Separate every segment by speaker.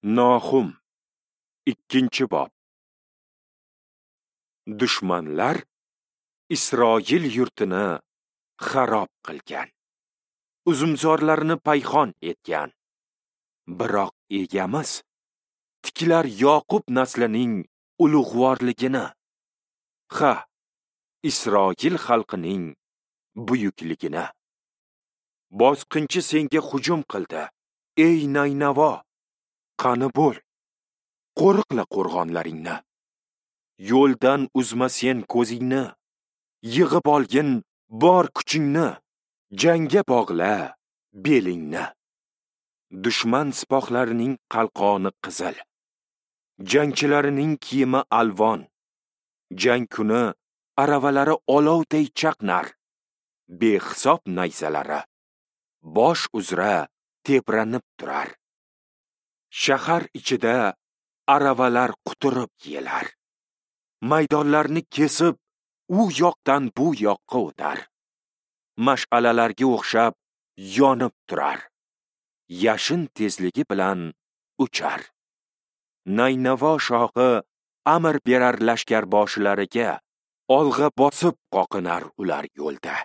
Speaker 1: Nahum, 2-bob. Dushmanlar Isroil yurtini xarob qilgan, uzumzorlarini payhon etgan. Biroq egamiz tiklar Yoqub naslining ulug'vorligini, ha, Isroil xalqining buyukligini. Bosqinchi senga hujum qildi, ey Naynavo, qani bo'l, qo'riqla qo'rg'onlaringni. Yo'ldan uzma sen ko'zingni, yig'ib olgin bor kuchingni, jangga bog'la belingni. Dushman sipohlarining qalqoni qizil, jangchilarining kiyimi alvon. Jang kuni aravalari olovday chaqnar, behisob nayzalari bosh uzra tepranib turar. Shahar ichida aravalar quturib yelar, maydonlarni kesib u yoqdan bu yoqqa o'tar. Mash'alalarga o'xshab yonib turar, yashin tezligi bilan uchar. Naynavo shohi amr berar lashkarboshilariga, olg'a bosib qoqinar ular yo'lda.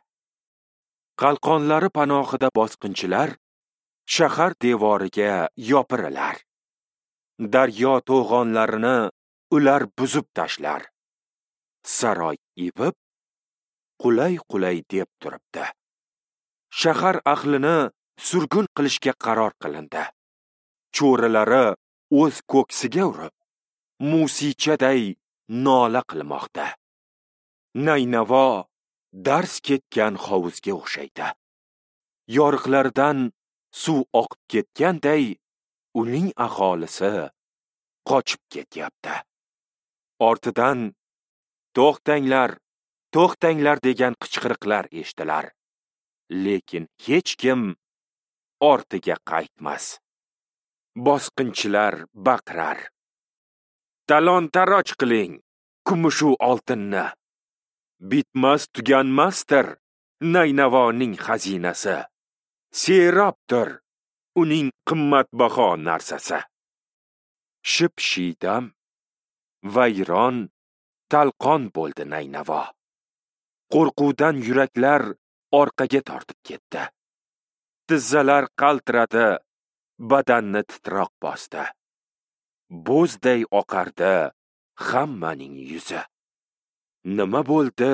Speaker 1: Qalqonlari panohida bosqinchilar shahar devoriga yopirilar. Daryo to'g'onlarini ular buzib tashlar. Saroy epib, qulay-qulay deb turibdi. Shahar ahlini surgun qilishga qaror qilindi. Cho'rilari o'z ko'ksiga urib, musichaday nola qilmoqda. Naynavo dars ketgan hovuzga o'xshaydi. Yoriqlardan suv oqib ketganday uning aholisi qochib ketyapti. Ortidan to'xtanglar, to'xtanglar degan qichqiriqlar eshitilar. Lekin hech kim ortiga qaytmas. Bosqinchilar baqirar: talon-taroj qiling kumushu oltinni. Bitmas tuganmasdir Naynavoning xazinasi. Serobdir uning qimmatbaho narsasi. Ship-shiydam, vayron, talqon bo'ldi Naynavo. Qo'rquvdan yuraklar orqaga tortib ketdi. Tizzalar qaltiradi, badanni titroq bosdi. Bo'zday oqardi hammaning yuzi. Nima bo'ldi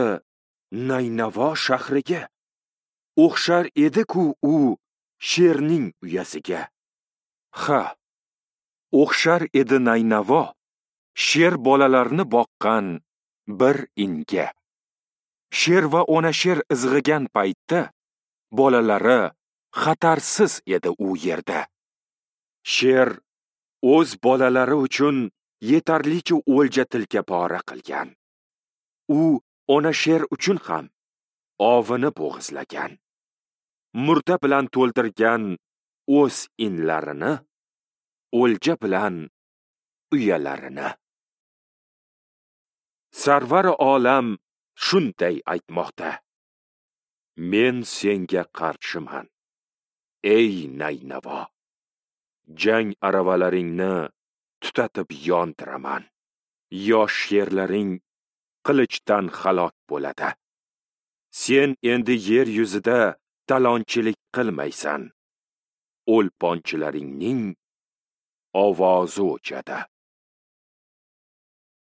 Speaker 1: Naynavo shahriga? O'xshar edi-ku u sherning uyasiga. Ha, o'xshar edi Naynavo sher bolalarini boqqan bir inga. Sher va ona sher izg'igan paytda bolalari xatarsiz edi u yerda. Sher o'z bolalari uchun yetarlicha o'lja tilka pora qilgan. U ona sher uchun ham ovini bo'g'izlagan. Murda bilan to'ldirgan o'z inlarini, o'lja bilan uyalarini. Sarvar olam shunday aytmoqda: men senga qarshiman, ey Naynavo. Jang aravalaringni tutatib yondiraman. Yosh sherlaring qilichdan halok bo'ladi. Sen endi yer yuzida talonchilik qilmaysan. O'lponchilaringning ovozi o'chadi.